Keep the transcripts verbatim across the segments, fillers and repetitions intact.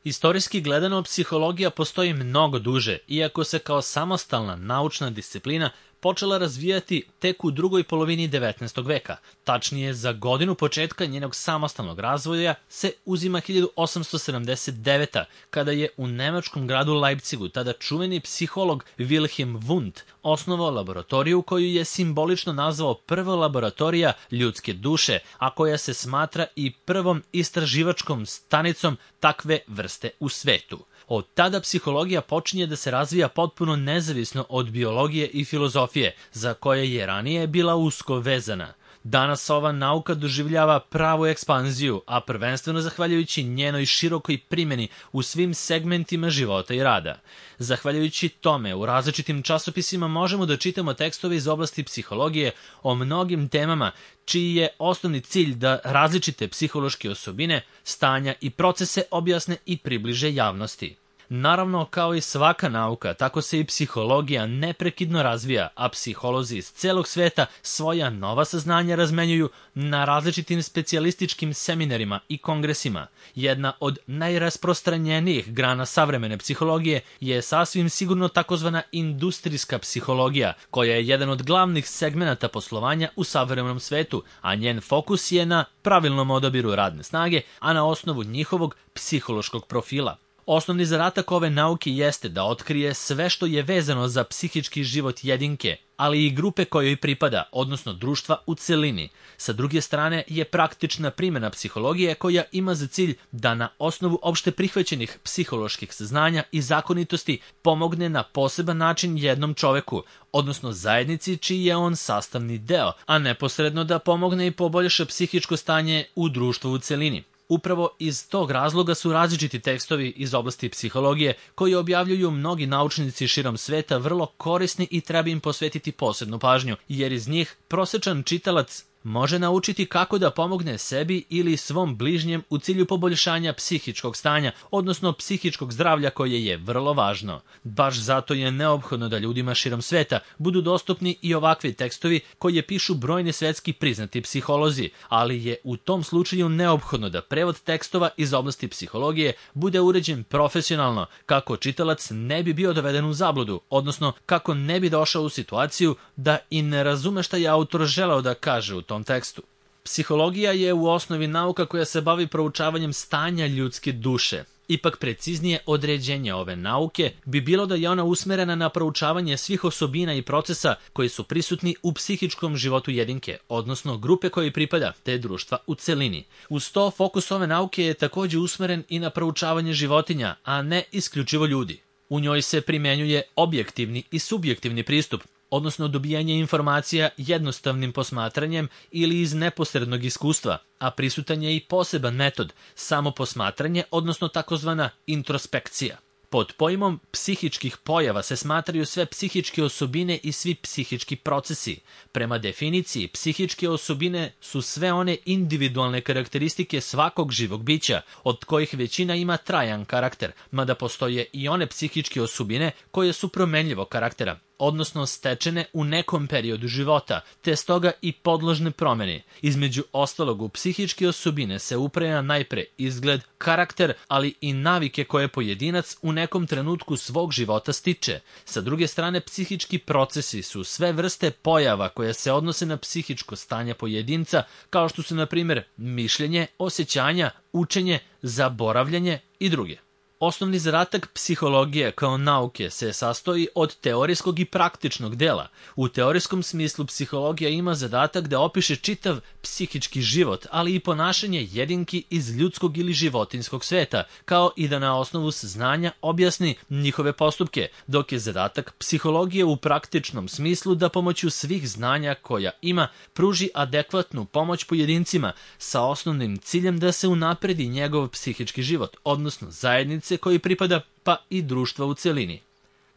Istorijski gledano, psihologija postoji mnogo duže, iako se kao samostalna naučna disciplina počela razvijati tek u drugoj polovini devetnaestog veka. Tačnije, za godinu početka njenog samostalnog razvoja se uzima hiljadu osamsto sedamdeset deveta. kada je u nemačkom gradu Leipzigu tada čuveni psiholog Wilhelm Wundt osnovao laboratoriju koju je simbolično nazvao prva laboratorija ljudske duše, a koja se smatra i prvom istraživačkom stanicom takve vrste u svetu. Od tada psihologija počinje da se razvija potpuno nezavisno od biologije i filozofije, za koje je ranije bila usko vezana. Danas ova nauka doživljava pravu ekspanziju, a prvenstveno zahvaljujući njenoj širokoj primjeni u svim segmentima života i rada. Zahvaljujući tome, u različitim časopisima možemo da čitamo tekstove iz oblasti psihologije o mnogim temama, čiji je osnovni cilj da različite psihološke osobine, stanja i procese objasne i približe javnosti. Naravno, kao i svaka nauka, tako se i psihologija neprekidno razvija, a psiholozi iz celog sveta svoja nova saznanja razmenjuju na različitim specijalističkim seminarima i kongresima. Jedna od najrasprostranjenijih grana savremene psihologije je sasvim sigurno takozvana industrijska psihologija, koja je jedan od glavnih segmenata poslovanja u savremenom svetu, a njen fokus je na pravilnom odabiru radne snage, a na osnovu njihovog psihološkog profila. Osnovni zadatak ove nauke jeste da otkrije sve što je vezano za psihički život jedinke, ali i grupe kojoj pripada, odnosno društva u celini. Sa druge strane je praktična primjena psihologije koja ima za cilj da na osnovu opšte prihvaćenih psiholoških saznanja i zakonitosti pomogne na poseban način jednom čoveku, odnosno zajednici čiji je on sastavni deo, a neposredno da pomogne i poboljša psihičko stanje u društvu u celini. Upravo iz tog razloga su različiti tekstovi iz oblasti psihologije koji objavljuju mnogi naučnici širom sveta vrlo korisni i treba im posvetiti posebnu pažnju, jer iz njih prosečan čitalac može naučiti kako da pomogne sebi ili svom bližnjem u cilju poboljšanja psihičkog stanja, odnosno psihičkog zdravlja koje je vrlo važno. Baš zato je neophodno da ljudima širom sveta budu dostupni i ovakvi tekstovi koje pišu brojni svetski priznati psiholozi, ali je u tom slučaju neophodno da prevod tekstova iz oblasti psihologije bude uređen profesionalno, kako čitalac ne bi bio doveden u zabludu, odnosno kako ne bi došao u situaciju da i ne razume šta je autor želeo da kaže u tom tekstu. Psihologija je u osnovi nauka koja se bavi proučavanjem stanja ljudske duše. Ipak preciznije određenje ove nauke bi bilo da je ona usmerena na proučavanje svih osobina i procesa koji su prisutni u psihičkom životu jedinke, odnosno grupe koje pripada, te društva u celini. Uz to, fokus ove nauke je također usmeren i na proučavanje životinja, a ne isključivo ljudi. U njoj se primenjuje objektivni i subjektivni pristup, odnosno dobijanje informacija jednostavnim posmatranjem ili iz neposrednog iskustva, a prisutan je i poseban metod, samo posmatranje, odnosno takozvana introspekcija. Pod pojmom psihičkih pojava se smatraju sve psihičke osobine i svi psihički procesi. Prema definiciji, psihičke osobine su sve one individualne karakteristike svakog živog bića, od kojih većina ima trajan karakter, mada postoje i one psihičke osobine koje su promenljivog karaktera, odnosno stečene u nekom periodu života, te stoga i podložne promjeni. Između ostalog, u psihičke osobine se ubraja najpre izgled, karakter, ali i navike koje pojedinac u nekom trenutku svog života stiče. Sa druge strane, psihički procesi su sve vrste pojava koje se odnose na psihičko stanje pojedinca, kao što su, na primjer, mišljenje, osjećanja, učenje, zaboravljanje i druge. Osnovni zadatak psihologije kao nauke se sastoji od teorijskog i praktičnog dela. U teorijskom smislu psihologija ima zadatak da opiše čitav psihički život, ali i ponašanje jedinki iz ljudskog ili životinjskog sveta, kao i da na osnovu saznanja objasni njihove postupke, dok je zadatak psihologije u praktičnom smislu da pomoću svih znanja koja ima pruži adekvatnu pomoć pojedincima sa osnovnim ciljem da se unapredi njegov psihički život, odnosno zajednice koji pripada, pa i društva u celini.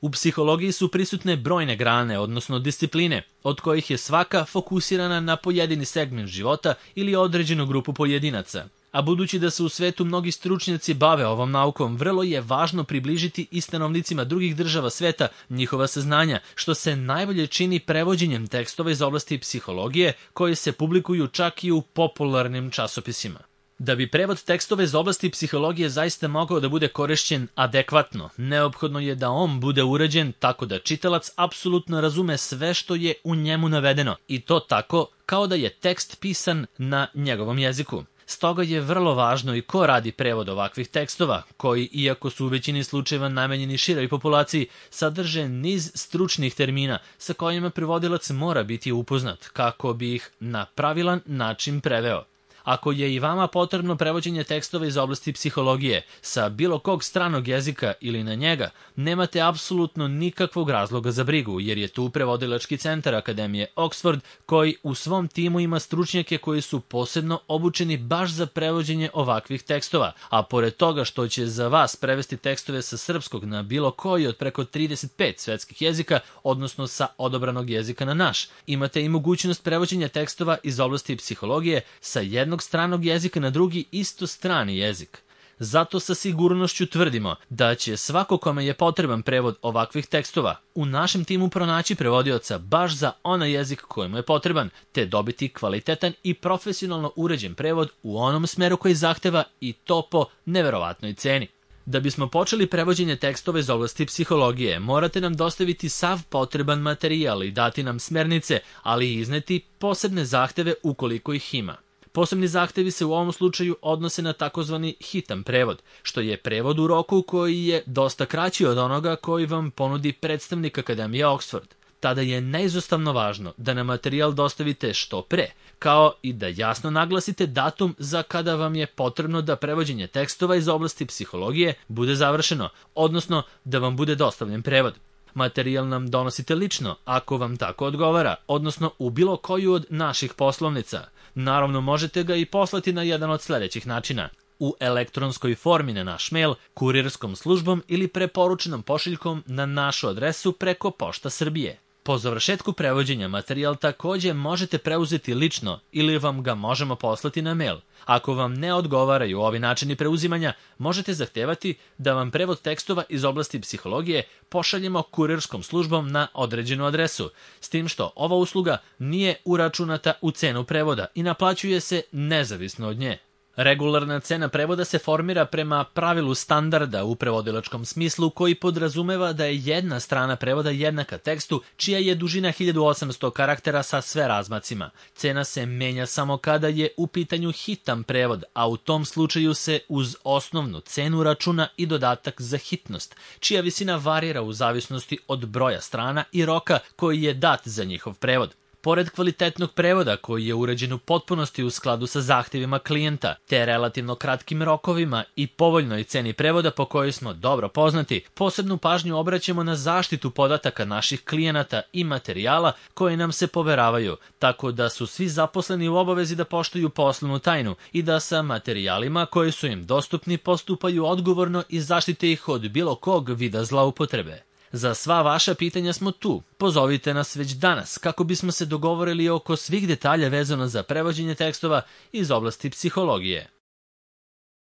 U psihologiji su prisutne brojne grane, odnosno discipline, od kojih je svaka fokusirana na pojedini segment života ili određenu grupu pojedinaca. A budući da se u svetu mnogi stručnjaci bave ovom naukom, vrlo je važno približiti i stanovnicima drugih država sveta njihova saznanja, što se najbolje čini prevođenjem tekstova iz oblasti psihologije koji se publikuju čak i u popularnim časopisima. Da bi prevod tekstova iz oblasti psihologije zaista mogao da bude korišćen adekvatno, neophodno je da on bude urađen tako da čitalac apsolutno razume sve što je u njemu navedeno i to tako kao da je tekst pisan na njegovom jeziku. Stoga je vrlo važno i ko radi prevod ovakvih tekstova, koji, iako su u većini slučajeva namenjeni široj populaciji, sadrže niz stručnih termina sa kojima prevodilac mora biti upoznat kako bi ih na pravilan način preveo. Ako je i vama potrebno prevođenje tekstova iz oblasti psihologije sa bilo kog stranog jezika ili na njega, nemate apsolutno nikakvog razloga za brigu, jer je tu prevodilački centar Akademije Oxford koji u svom timu ima stručnjake koji su posebno obučeni baš za prevođenje ovakvih tekstova, a pored toga što će za vas prevesti tekstove sa srpskog na bilo koji od preko trideset pet svetskih jezika, odnosno sa odabranog jezika na naš, imate i mogućnost prevođenja tekstova iz oblasti psihologije sa jednog stranog jezika na drugi isto strani jezik. Zato sa sigurnošću tvrdimo da će svako kome je potreban prevod ovakvih tekstova u našem timu pronaći prevodioca baš za onaj jezik kojemu je potreban, te dobiti kvalitetan i profesionalno uređen prevod u onom smeru koji zahteva i to po neverovatnoj ceni. Da bismo počeli prevođenje tekstova iz oblasti psihologije, morate nam dostaviti sav potreban materijal i dati nam smernice, ali i izneti posebne zahteve ukoliko ih ima. Posebni zahtevi se u ovom slučaju odnose na takozvani hitan prevod, što je prevod u roku koji je dosta kraći od onoga koji vam ponudi predstavnik Akademije Oxford. Tada je neizostavno važno da nam materijal dostavite što pre, kao i da jasno naglasite datum za kada vam je potrebno da prevođenje tekstova iz oblasti psihologije bude završeno, odnosno da vam bude dostavljen prevod. Materijal nam donosite lično, ako vam tako odgovara, odnosno u bilo koju od naših poslovnica. Naravno, možete ga i poslati na jedan od sledećih načina. U elektronskoj formi na naš mail, kurirskom službom ili preporučenom pošiljkom na našu adresu preko Pošta Srbije. Po završetku prevođenja materijal takođe možete preuzeti lično ili vam ga možemo poslati na mail. Ako vam ne odgovaraju ovi načini preuzimanja, možete zahtevati da vam prevod tekstova iz oblasti psihologije pošaljemo kurirskom službom na određenu adresu, s tim što ova usluga nije uračunata u cenu prevoda i naplaćuje se nezavisno od nje. Regularna cena prevoda se formira prema pravilu standarda u prevodilačkom smislu koji podrazumeva da je jedna strana prevoda jednaka tekstu čija je dužina hiljadu osamsto karaktera sa sve razmacima. Cena se menja samo kada je u pitanju hitan prevod, a u tom slučaju se uz osnovnu cenu računa i dodatak za hitnost, čija visina varira u zavisnosti od broja strana i roka koji je dat za njihov prevod. Pored kvalitetnog prevoda koji je uređen u potpunosti u skladu sa zahtjevima klijenta, te relativno kratkim rokovima i povoljnoj ceni prevoda po kojoj smo dobro poznati, posebnu pažnju obraćamo na zaštitu podataka naših klijenata i materijala koje nam se poveravaju, tako da su svi zaposleni u obavezi da poštuju poslovnu tajnu i da sa materijalima koji su im dostupni postupaju odgovorno i zaštite ih od bilo kog vida zloupotrebe. Za sva vaša pitanja smo tu. Pozovite nas već danas kako bismo se dogovorili oko svih detalja vezano za prevođenje tekstova iz oblasti psihologije.